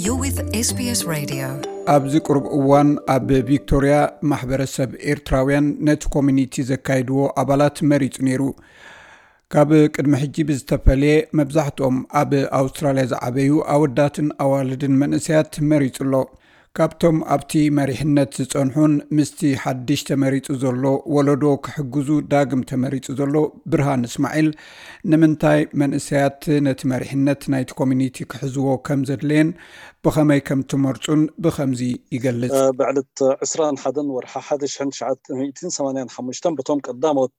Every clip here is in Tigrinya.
You're with SBS Radio. ኣብዚ ቅሩብ እዋን ኣብ ቪክቶርያ ማሕበረሰብ ኤርትራውያን ነቲ ኮሚኒቲ ዘካይድዎ ኣባላት መሪጹ ነይሩ። ካብ ቅድሚ ሕጂ ብዝተፈለየ፣ መብዛሕትኦም ኣብ ኣውስትራልያ ዝዓበዩ ኣወዳትን ኣዋልድን መንእሰያት መሪጹ ኣሎ። ካብቶም ኣብቲ መሪሕነት ዝጸንሑን ምስቲ ሓድሽ ተመሪጹ ዘሎ ወለዶ ክሕግዙ ዳግም ተመሪጹ ዘሎ ብርሃን እስማዒል፣ ንምንታይ መንእሰያት ነቲ መሪሕነት ናይቲ ኮሚኒቲ ክሕዝዎ ከም ዘድለየን ብኸመይ ከም ትመርጹን ብኸምዚ ይገልጽ። ብዕለት ዕስራን ሓደን ወርሒ ሓደ ሽሕን ትሽዓተ ሚእትን ሰማንያን ሓሙሽተን በቶም ቀዳሞት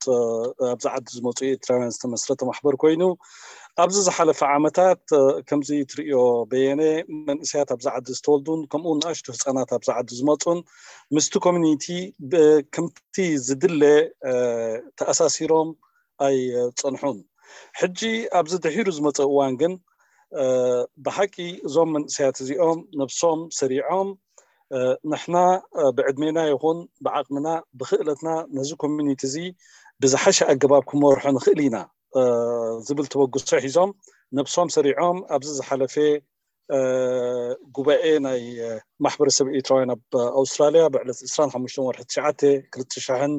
ኣብዚ ዓዲ ዝመጹ ኤርትራውያን ዝተመስረተ ማሕበር ኮይኑ፣ ኣብዚ ዝሓለፈ ዓመታት ከምዚ ትርእዮ በየነ፣ መንእሰያት ኣብዚ ዓዲ ዝተወልዱን ከምኡ ንኣሽቱ ህጻናት ኣብዚ ዓዲ ዝመጹን ምስቲ ኮሚኒቲ ከምቲ ዝድለ ተኣሳሲሮም ኣይጸንሑን። ሕጂ ኣብዚ ድሒሩ ዝመጸ እዋን ግን ብሓቂ እዞም መንእሰያት እዚኦም ነብሶም ሰሪዖም፣ ንሕና ብዕድሜና ይኹን ብዓቕምና ብክእለትና ነዚ ኮሚኒቲ እዚ ብዝሓሸ ኣገባብ ክመርሖ ንኽእል ኢና ዝብል ተበግሶ ሒዞም ነብሶም ሰሪዖም ኣብዚ ዝሓለፈ ጉባኤ ናይ ማሕበረሰብ ኤርትራውያን ኣብ ኣውስትራልያ ብዕለት ዕስራን ሓሙሽተን ወርሒ ትሽዓተ ክልተ ሽሕን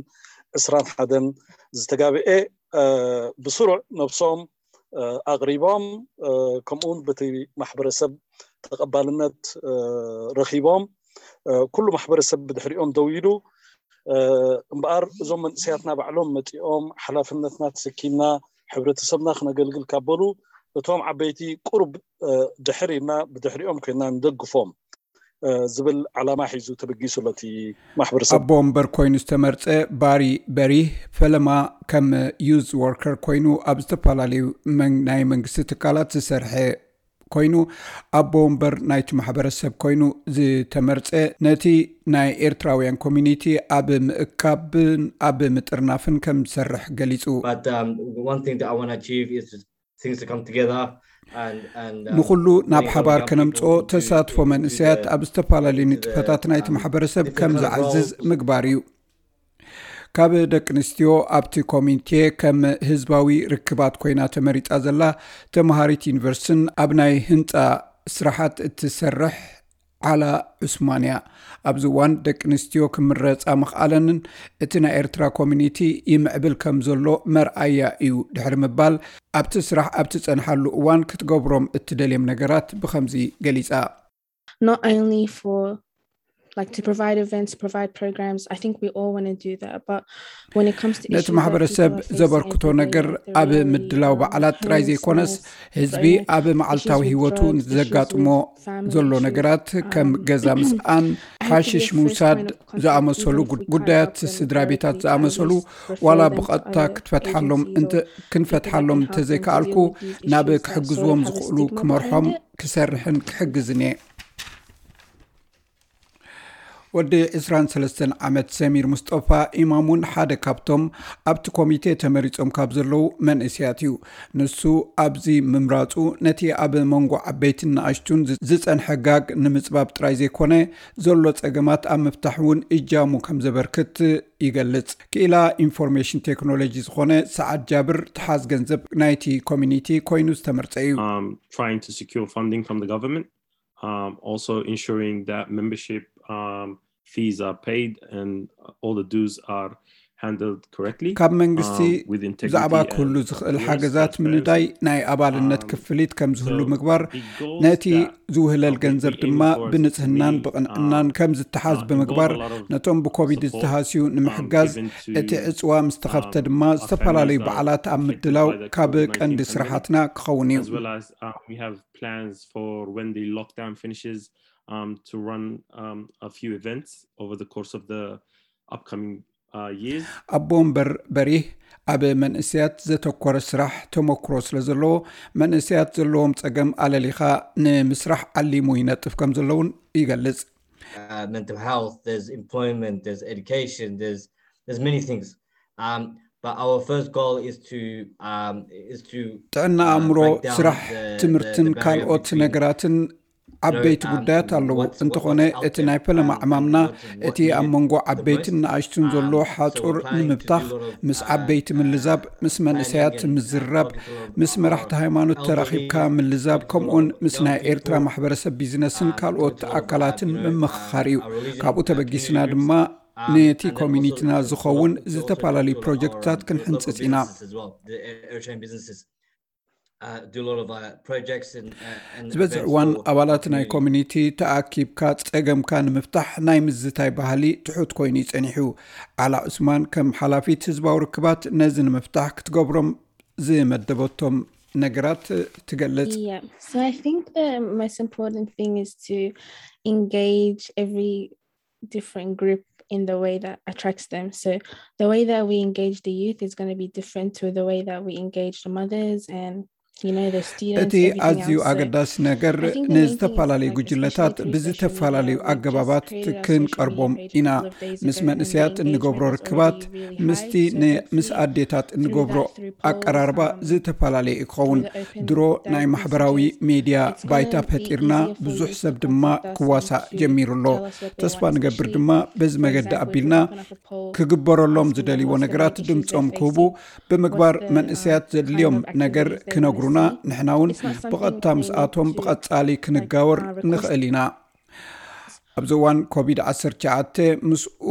ዕስራን ሓደን ዝተጋብኤ ብስሩዕ ነብሶም ኣቕሪቦም፣ ከምኡውን በቲ ማሕበረሰብ ተቐባልነት ረኺቦም፣ ኩሉ ማሕበረሰብ ብድሕሪኦም ደው ኢሉ። እምበኣር እዞም መንእሰያትና ባዕሎም መጺኦም ሓላፍነትና ተሰኪምና ሕብረተሰብና ክነገልግል ካብ በሉ፣ እቶም ዓበይቲ ቁሩብ ድሕር ኢልና ብድሕሪኦም ኮይና ንደግፎም ዝብል ዓላማ ሒዙ ተበጊሱ ኣሎ እቲ ማሕበረሰብ። ኣቦ ወንበር ኮይኑ ዝተመርጸ ባሪ በሪህ፣ ፈለማ ከም ዩዝ ወርከር ኮይኑ ኣብ ዝተፈላለዩ ናይ መንግስቲ ትካላት ዝሰርሐ ኮይኑ፣ ኣቦ ወንበር ናይቲ ማሕበረሰብ ኮይኑ ዝተመርጸ፣ ነቲ ናይ ኤርትራውያን ኮሚኒቲ ኣብ ምእካብን ኣብ ምጥርናፍን ከም ዝሰርሕ ገሊጹ። ንኹሉ ናብ ሓባር ከነምጽኦ፣ ተሳትፎ መንእሰያት ኣብ ዝተፈላለዩ ንጥፈታት ናይቲ ማሕበረሰብ ከም ዝዓዝዝ ምግባር እዩ። ካብ ደቂ ኣንስትዮ ኣብቲ ኮሚቴ ከም ህዝባዊ ርክባት ኮይና ተመሪጻ ዘላ ተምሃሪት ዩኒቨርሲቲን ኣብ ናይ ህንጻ ስራሓት እትሰርሕ ዓላ ዑስማን እያ። ኣብዚ እዋን ደቂ ኣንስትዮ ክምረጻ ምኽኣለንን እቲ ናይ ኤርትራ ኮሚኒቲ ይምዕብል ከም ዘሎ መርኣያ እዩ ድሕሪ ምባል፣ ኣብቲ ስራሕ ኣብ ትጸንሓሉ እዋን ክትገብሮም እትደልዮም ነገራት ብኸምዚ ገሊጻ። Not only for like to provide events, to provide programs. I think we all want to do that, but when it comes to ነቲ ማሕበረሰብ ዘበርክቶ ነገር ኣብ ምድላው በዓላት ጥራይ ዘይኮነስ፣ ህዝቢ ኣብ መዓልታዊ ህይወቱ ንዘጋጥሞ ዘሎ ነገራት ከም ገዛ ምስኣን፣ ሓሽሽ ምውሳድ ዝኣመሰሉ ጉዳያት፣ ስድራ ቤታት ዝኣመሰሉ ዋላ ብቐጥታ ክትፈትሓሎም ክንፈትሓሎም እንተዘይከኣልኩ፣ ናብ ክሕግዝዎም ዝኽእሉ ክመርሖም ክሰርሕን ክሕግዝን እየ። ወዲ ዕስራን ሰለስተን ዓመት ሰሚር ሙስጠፋ ኢማም እውን ሓደ ካብቶም ኣብቲ ኮሚቴ ተመሪጾም ካብ ዘለዉ መንእሰያት እዩ። ንሱ ኣብዚ ምምራጹ ነቲ ኣብ መንጎ ዓበይትን ንኣሽቱን ዝጸንሐ ጋግ ንምጽባብ ጥራይ ዘይኮነ፣ ዘሎ ጸገማት ኣብ ምፍታሕ እውን እጃሙ ከም ዘበርክት ይገልጽ። ክኢላ ኢንፎርሜሽን ቴክኖሎጂ ዝኾነ ሰዓድ ጃብር፣ ተሓዝ ገንዘብ ናይቲ ኮሚኒቲ ኮይኑ ዝተመርጸ እዩ። Um, trying to secure funding from the government, um, also ensuring that membership um, fees are paid and all the dues are handled correctly. ካብ መንግስቲ ብዛዕባ ክህሉ ዝኽእል ሓገዛት ምንዳይ፣ ናይ ኣባልነት ክፍሊት ከም ዝህሉ ምግባር፣ ነቲ ዝውህለል ገንዘብ ድማ ብንጽህናን ብቕንዕናን ከም ዝተሓዝ ብምግባር፣ ነቶም ብኮቪድ ዝተሃስዩ ንምሕጋዝ፣ እቲ ዕጽዋ ምስ ተኸፍተ ድማ ዝተፈላለዩ በዓላት ኣብ ምድላው ካብ ቀንዲ ስራሓትና ክኸውን እዩ። Plans for when the lockdown finishes, um, to run um, a few events over the course of the upcoming uh, years. ኣቦ ወንበር በሪህ ኣብ መንእሰያት ዘተኮረ ስራሕ ተመክሮ ስለ ዘለዎ፣ መንእሰያት ዘለዎም ጸገም ኣለሊኻ ንምስራሕ ዓሊሙ ይነጥፍ ከም ዘለውን ይገልጽ። Uh, mental health, there's employment, there's education, there's there's many things. Um, but our first goal is to um, is to ጥዕና ኣእምሮ፣ ስራሕ፣ ትምህርትን ካልኦት ነገራትን ዓበይቲ ጉዳያት ኣለዉ። እንተኾነ እቲ ናይ ፈለማ ዕማምና እቲ ኣብ መንጎ ዓበይትን ንኣሽቱን ዘሎ ሓጹር ንምብታኽ፣ ምስ ዓበይቲ ምልዛብ፣ ምስ መንእሰያት ምዝርራብ፣ ምስ መራሕቲ ሃይማኖት ተራኺብካ ምልዛብ፣ ከምኡውን ምስ ናይ ኤርትራ ማሕበረሰብ ቢዝነስን ካልኦት ኣካላትን ምምኽኻር እዩ። ካብኡ ተበጊስና ድማ ነቲ ኮሚኒቲና ዝኸውን ዝተፈላለዩ ፕሮጀክትታት ክንሕንጽጽ ኢና። ዝበዝሕ እዋን ኣባላት ናይ ኮሚኒቲ ተኣኪብካ ጸገምካ ንምፍታሕ ናይ ምዝታይ ባህሊ ትሑት ኮይኑ እዩ ጸኒሑ። ዓላ ዑስማን ከም ሓላፊት ህዝባዊ ርክባት ነዚ ንምፍታሕ ክትገብሮም ዝመደበቶም ነገራት ትገልጽ። Yeah. So I think the most important thing is to engage every different group in the way that attracts them. So the way that we engage the youth is going to be different to the way that we engage the mothers and, you know, the students. እቲ ኣዝዩ ኣገዳሲ ነገር ንዝተፈላለዩ ጉጅለታት ብዝተፈላለዩ ኣገባባት ክንቀርቦም ኢና። ምስ መንእሰያት እንገብሮ ርክባት ምስቲ ምስ ኣዴታት እንገብሮ ኣቀራርባ ዝተፈላለየ ክኸውን። ድሮ ናይ ማሕበራዊ ሜድያ ባይታ ፈጢርና ብዙሕ ሰብ ድማ ክዋሳእ ጀሚሩ ኣሎ። ተስፋ ንገብር ድማ በዚ መገዲ ኣቢልና ክግበረሎም ዝደልይዎ ነገራት ድምፆም ክህቡ ብምግባር መንእሰያት ዘድልዮም ነገር ክነግሩና፣ ንሕና እውን ብቐጥታ ምስኣቶም ብቐጻሊ ክንጋወር ንኽእል ኢና። ኣብዚ እዋን ኮቪድ ዓሰርተ ትሽዓተ ምስኡ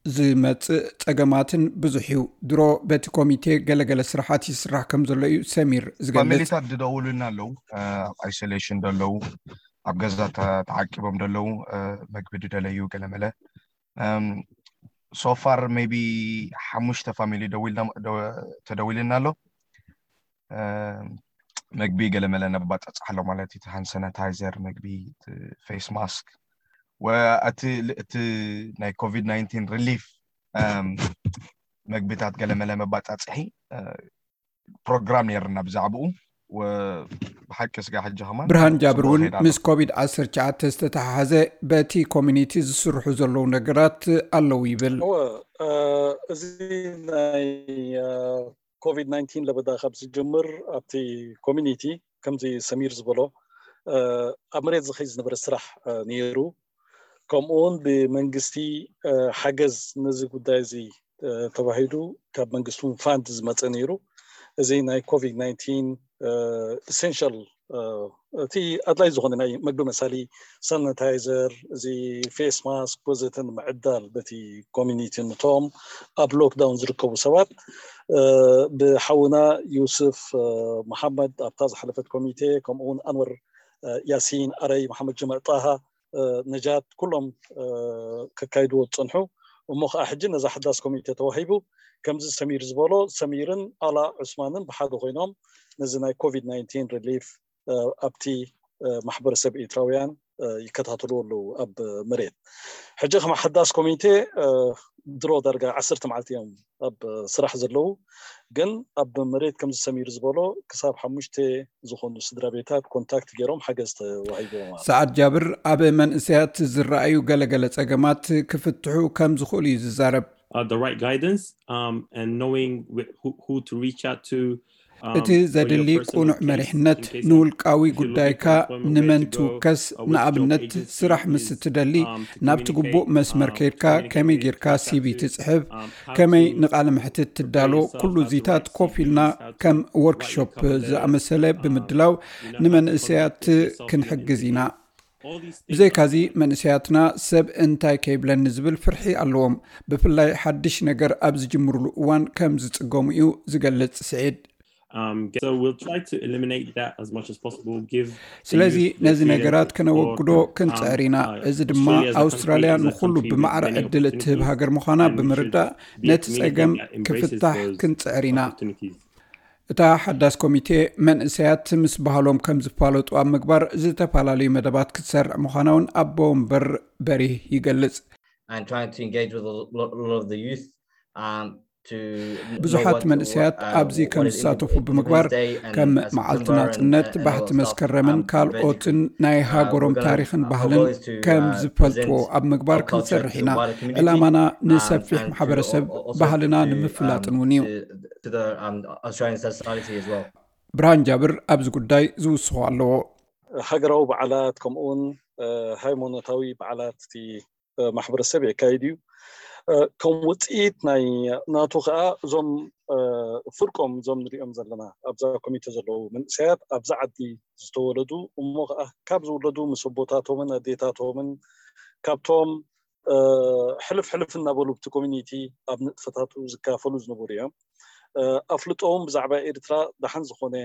ዝመጽእ ጸገማትን ብዙሕ እዩ። ድሮ በቲ ኮሚቴ ገለገለ ስራሓት ይስራሕ ከም ዘሎ እዩ ሰሚር ዝገልጽ። ፋሚሊታት ዝደውሉና ኣለዉ፣ ኣብ ኣይሶሌሽን ዘለዉ፣ ኣብ ገዛ ተዓቂቦም ዘለዉ፣ መግቢ ዝደለዩ ገለመለ። ሶፋር ሜቢ ሓሙሽተ ፋሚሊ ተደዊልና ኣሎ። መግቢ ገለመለ ነባጻጽሕ ኣሎ ማለት እዩ። ሃንድ ሳኒታይዘር፣ መግቢ፣ ፌስ ማስክ፣ እቲ ናይ ኮቪድ ናይንቲን ሪሊፍ መግብታት ገለመለ መባጻጽሒ ፕሮግራም ነይርና ብዛዕባኡ። ብሓቂ ስጋ ሕጂ ከማን ብርሃን ጃብር እውን ምስ ኮቪድ ዓሰርተ ትሽዓተ ዝተተሓሓዘ በቲ ኮሚኒቲ ዝስርሑ ዘለዉ ነገራት ኣለዉ ይብል። እዚ ናይ ኮቪድ ናይንቲን ለበዳ ካብ ዝጅምር ኣብቲ ኮሚኒቲ ከምዚ ሰሚር ዝበሎ ኣብ መሬት ዝኸይ ዝነበረ ስራሕ ነይሩ። ከምኡውን ብመንግስቲ ሓገዝ ነዚ ጉዳይ እዚ ተባሂሉ ካብ መንግስቲ እውን ፋንድ ዝመፀ ነይሩ። እዚ ናይ ኮቪድ ናይንቲን ኢሰንሻል እቲ ኣድላይ ዝኾነ ናይ መግቢ መሳሊ ሳኒታይዘር፣ እዚ ፌስ ማስክ ወዘተ ንምዕዳል በቲ ኮሚኒቲ ነቶም ኣብ ሎክዳውን ዝርከቡ ሰባት ብሓውና ዩስፍ መሓመድ ኣብታ ዝሓለፈት ኮሚቴ ከምኡውን ኣንወር ያሲን ኣረይ መሓመድ ጅምዕ ጣሃ ነጃት ኩሎም ከካይድዎ ዝፀንሑ እሞ ከዓ ሕጂ ነዛ ሓዳስ ኮሚቴ ተዋሂቡ ከምዚ ሰሚር ዝበሎ ሰሚርን ኣላ ዑስማንን ብሓደ ኮይኖም ነዚ ናይ ኮቪድ ናይንቲን ሪሊፍ ኣብቲ ማሕበረሰብ ኤርትራውያን ይከታተልዎ ኣለዉ ኣብ መሬት። ሕጂ ከም ሓዳስ ኮሚቴ ድሮ ዳርጋ ዓሰርተ መዓልቲ እዮም ኣብ ስራሕ ዘለዉ፣ ግን ኣብ መሬት ከምዚ ሰሚር ዝበሎ ክሳብ ሓሙሽተ ዝኾኑ ስድራ ቤታት ኮንታክት ገይሮም ሓገዝ ተዋሂቦም። ሰዓድ ጃብር ኣብ መንእሰያት ዝረኣዩ ገለገለ ጸገማት ክፍትሑ ከም ዝኽእሉ እዩ ዝዛረብ። the right guidance um, and knowing who, who to reach out to. እቲ ዘድሊ ቁኑዕ መሪሕነት፣ ንውልቃዊ ጉዳይካ ንመን ትውከስ፣ ንኣብነት ስራሕ ምስ እትደሊ ናብቲ ግቡእ መስመር ከይድካ ከመይ ጌርካ ሲቪ ትጽሕፍ፣ ከመይ ንቃለ መሕትት ትዳሎ፣ ኩሉ እዚታት ኮፍ ኢልና ከም ወርክሾፕ ዝኣመሰለ ብምድላው ንመንእሰያት ክንሕግዝ ኢና። ብዘይካዚ መንእሰያትና ሰብ እንታይ ከይብለኒ ዝብል ፍርሒ ኣለዎም። ብፍላይ ሓድሽ ነገር ኣብ ዝጅምርሉ እዋን ከም ዝጽገሙ እዩ ዝገልጽ ስዒድ። Um, so we'll try to eliminate that as much as possible. Give ስለዚ ነዚ ነገራት ከነወግዶ ክንጽዕር ኢና። እዚ ድማ ኣውስትራልያ ንኹሉ ብማዕረ ዕድል እትህብ ሃገር ምዃና ብምርዳእ ነቲ ጸገም ክፍታሕ ክንጽዕር ኢና። እታ ሓዳስ ኮሚቴ መንእሰያት ምስ ባህሎም ከም ዝፋለጡ ኣብ ምግባር ዝተፈላለዩ መደባት ክትሰርዕ ምዃና እውን ኣቦ ወንበር በሪህ ይገልጽ። ብዙሓት መንእሰያት ኣብዚ ከም ዝሳተፉ ብምግባር ከም መዓልቲ ናጽነት፣ ባሕቲ መስከረምን ካልኦትን ናይ ሃገሮም ታሪኽን ባህልን ከም ዝፈልጥዎ ኣብ ምግባር ክንሰርሕ ኢና። ዕላማና ንሰፊሕ ማሕበረሰብ ባህልና ንምፍላጥን እውን እዩ። ብርሃን ጃብር ኣብዚ ጉዳይ ዝውስኾ ኣለዎ። ሃገራዊ በዓላት ከምኡውን ሃይማኖታዊ በዓላት እቲ ማሕበረሰብ የካይድ እዩ። ከም ውፅኢት ናይ ናቱ ከዓ እዞም ፍርቆም እዞም ንሪኦም ዘለና ኣብዛ ኮሚቴ ዘለዉ መንእሰያት ኣብዛ ዓዲ ዝተወለዱ እሞ ከዓ ካብ ዝውለዱ ምስ ኣቦታቶምን ኣዴታቶምን ካብቶም ሕልፍ ሕልፍ እናበሉ ብቲ ኮሚኒቲ ኣብ ንጥፈታቱ ዝካፈሉ ዝነበሩ እዮም። ኣፍልጦ እውን ብዛዕባ ኤርትራ ደሓን ዝኾነ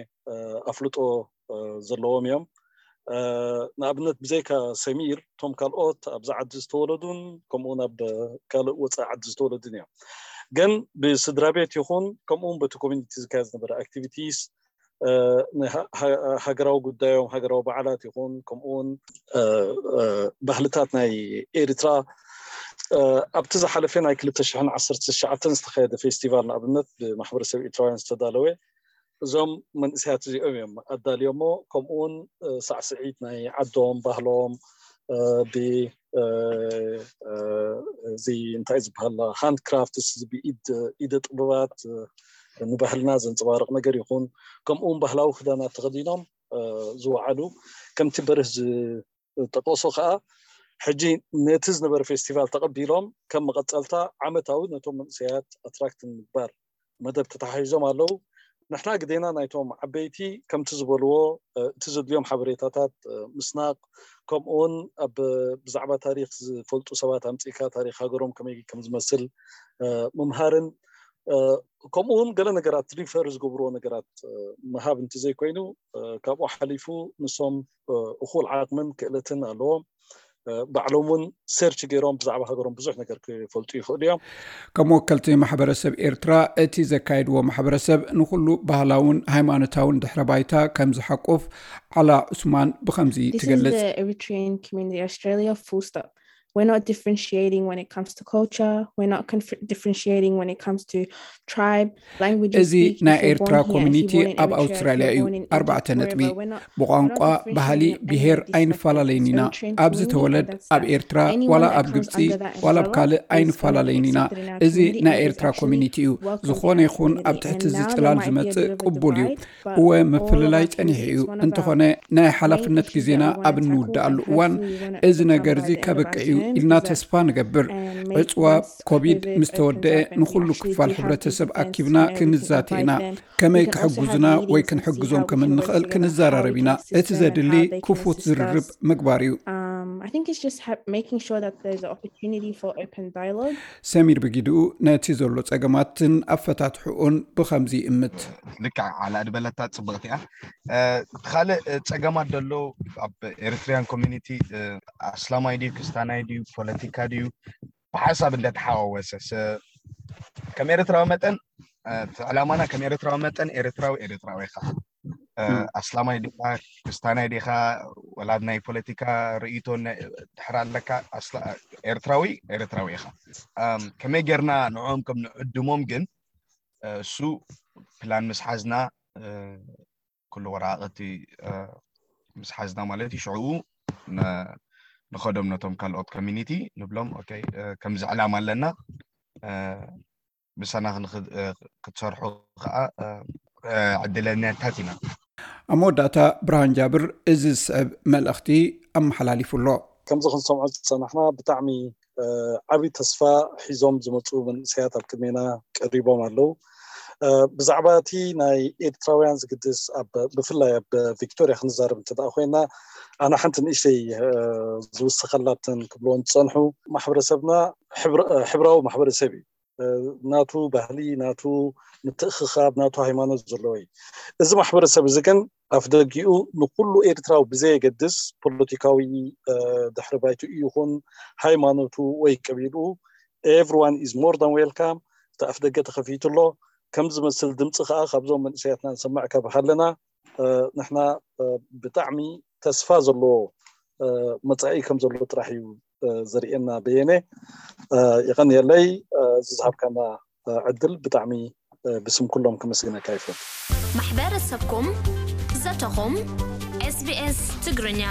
ኣፍልጦ ዘለዎም እዮም። ንኣብነት ብዘይካ ሰሚር እቶም ካልኦት ኣብዚ ዓዲ ዝተወለዱን ከምኡውን ኣብ ካልእ ወፃኢ ዓዲ ዝተወለዱን እዮም። ግን ብስድራ ቤት ይኹን ከምኡውን በቲ ኮሚኒቲ ዝካየድ ዝነበረ ኣክቲቪቲስ ሃገራዊ ጉዳዮም ሃገራዊ በዓላት ይኹን ከምኡውን ባህልታት ናይ ኤርትራ ኣብቲ ዝሓለፈ ናይ ክልተ ሽሕን ዓሰርተ ትሽዓተን ዝተኻየደ ፌስቲቫል ንኣብነት ብማሕበረሰብ ኤርትራውያን ዝተዳለወ እዞም መንእሰያት እዚኦም እዮም ኣዳልዮሞ። ከምኡውን ሳዕስዒት ናይ ዓዶም ባህሎም ብ እዚ እንታይ ዝበሃል ሃንድ ክራፍትስ ብኢድ ኢደ ጥበባት ንባህልና ዘንፀባርቕ ነገር ይኹን ከምኡውን ባህላዊ ክዳናት ተኸዲኖም ዝወዓሉ ከምቲ በርህ ዝጠቀሶ ከዓ ሕጂ ነቲ ዝነበረ ፌስቲቫል ተቐቢሎም ከም መቐፀልታ ዓመታዊ ነቶም መንእሰያት ኣትራክት ንምግባር መደብ ተተሓሒዞም ኣለዉ። ንሕና ግዴና ናይቶም ዓበይቲ ከምቲ ዝበልዎ እቲ ዘድልዮም ሓበሬታታት ምስናቕ ከምኡውን ኣብ ብዛዕባ ታሪክ ዝፈልጡ ሰባት ኣምፅእካ ታሪክ ሃገሮም ከመይ ከም ዝመስል ምምሃርን ከምኡውን ገለ ነገራት ሪፈር ዝገብርዎ ነገራት ምሃብ እንተዘይኮይኑ ካብኡ ሓሊፉ ንሶም እኹል ዓቕምን ክእለትን ኣለዎም። ባዕሎም እውን ሰርች ገይሮም ብዛዕባ ሃገሮም ብዙሕ ነገር ክፈልጡ ይኽእሉ እዮም። ከም ወከልቲ ማሕበረሰብ ኤርትራ እቲ ዘካየድዎ ማሕበረሰብ ንኩሉ ባህላውን ሃይማኖታውን ድሕረ ባይታ ከም ዝሓቁፍ ዓላ ዑስማን ብኸምዚ ትገልጽ። We're not differentiating when it comes to culture. We're not differentiating when it comes to tribe, language. እዚ ናይ ኤርትራ ኮሚኒቲ ኣብ ኣውስትራልያ እዩ። ኣርባዕተ ነጥቢ። ብቋንቋ፣ ባህሊ፣ ብሄር ኣይንፈላለይን ኢና። ኣብዚ ተወለድ፣ ኣብ ኤርትራ ዋላ ኣብ ግብፂ ዋላ ኣብ ካልእ ኣይንፈላለይን ኢና። እዚ ናይ ኤርትራ ኮሚኒቲ እዩ። ዝኾነ ይኹን ኣብ ትሕቲ እዚ ፅላል ዝመፅእ ቅቡል እዩ። እወ ምፍልላይ ፀኒሑ እዩ። እንተኾነ ናይ ሓላፍነት ግዜና ኣብ እንውድኣሉ እዋን እዚ ነገር እዚ ከብቅዕ እዩ ኢልና ተስፋ ንገብር። ዕፅዋ ኮቪድ ምስ ተወደአ ንኹሉ ክፋል ሕብረተሰብ ኣኪብና ክንዛተ ኢና። ከመይ ክሕግዙና ወይ ክንሕግዞም ከም እንኽእል ክንዘራረብ ኢና። እቲ ዘድሊ ክፉት ዝርርብ ምግባር እዩ። ሰሚር ብጊድኡ ነቲ ዘሎ ጸገማትን ኣፈታትሕኡን ብኸምዚ ይእምት። ልክዕ ዓላ ዝበለታ ጽብቕቲ እያ። ካልእ ጸገማት ዘሎ ኣብ ኤሪትሪያን ኮሚኒቲ ኣስላማይ ድዩ ክስታናይ ድዩ ፖለቲካ ድዩ ብሓሳብ እንደተሓዋወሰ ከም ኤርትራዊ መጠን ዕላማና ከም ኤርትራዊ መጠን ኤርትራዊ ኤርትራዊ ኢኻ። ኣስላማይ ዲኻ ክስታናይ ዲኻ ወላ ናይ ፖለቲካ ርእይቶ ድሕር ኣለካ ኤርትራዊ ኤርትራዊ ኢኻ። ከመይ ጌርና ንዕኦም ከም ንዕድሞም ግን እሱ ፕላን ምስ ሓዝና ኩሉ ወረቓቕቲ ምስ ሓዝና ማለት እዩ ሽዕኡ ንኸዶም ነቶም ካልኦት ኮሚኒቲ ንብሎም ኦኬ ከምዚ ዕላማ ኣለና ምሳና ክትሰርሑ ከዓ ዕድለኛታት ኢና። ኣብ መወዳእታ ብርሃን ጃብር እዚ ዝስዕብ መልእኽቲ ኣመሓላሊፉ ኣሎ። ከምዚ ክንሰምዖ ዝፀናሕና ብጣዕሚ ዓብዪ ተስፋ ሒዞም ዝመፁ መንእሰያት ኣብ ቅድሜና ቀሪቦም ኣለዉ። ብዛዕባ እቲ ናይ ኤርትራውያን ዝግድስ ብፍላይ ኣብ ቪክቶርያ ክንዛረብ እንተ ኮይና ኣነ ሓንቲ ንእሽተይ ዝውስኸላትን ክብልዎን ዝፀንሑ ማሕበረሰብና ሕብራዊ ማሕበረሰብ እዩ። ናቱ ባህሊ ናቱ ምትእኽኻብ ናቱ ሃይማኖት ዘለዎ እዩ። እዚ ማሕበረሰብ እዚ ግን ኣፍደጊኡ ንኩሉ ኤርትራዊ ብዘየገድስ ፖለቲካዊ ድሕሪ ባይትኡ ይኹን ሃይማኖቱ ወይ ቀቢልኡ everyone is more than welcome። እቲ ኣፍደገ ተኸፊቱ ኣሎ። ከም ዝመስል ድምፂ ከዓ ካብዞም መንእሰያትና ንሰምዕ ካብ ሃለና ንሕና ብጣዕሚ ተስፋ ዘለዎ መፃኢ ከም ዘሎ ጥራሕ እዩ ዘርእየና። በየነ የቐንየለይ ዝዝሃብካና ዕድል ብጣዕሚ ብስም ኩሎም ከመስግነካ ይፈል። ማሕበረሰብኩም ዘተኹም ኤስቢኤስ ትግርኛ